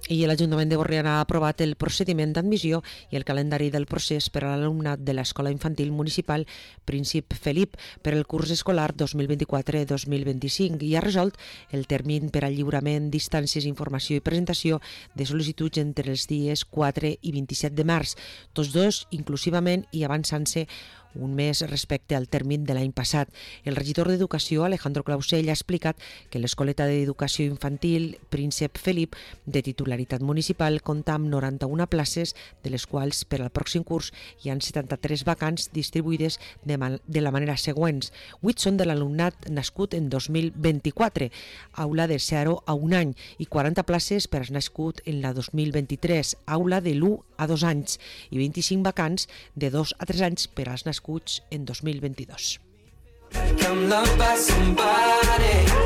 I l'Ajuntament de Borriana ha aprovat el procediment d'admissió i el calendari del procés per a l'alumnat de l'Escola Infantil Municipal Príncep Felip per el curs escolar 2024-2025 i ha resolt el termini per al lliurament d'instàncies, informació i presentació de sol·licituds entre els dies 4 i 27 de març, tots dos inclusivament i avançant-se un mes respecte al termini de l'any passat. El regidor d'Educació, Alejandro Clausell, ha explicat que l'Escoleta d'Educació Infantil Príncep Felip, de titularitat municipal, compta amb 91 places, de les quals per al pròxim curs hi ha 73 vacants distribuïdes de la manera següents. 8 són de l'alumnat nascut en 2024, aula de 0 a 1 any, i 40 places per als nascut en la 2023, aula de l'1 a 2 anys, i 25 vacants de 2 a 3 anys per als nascuts en 2022.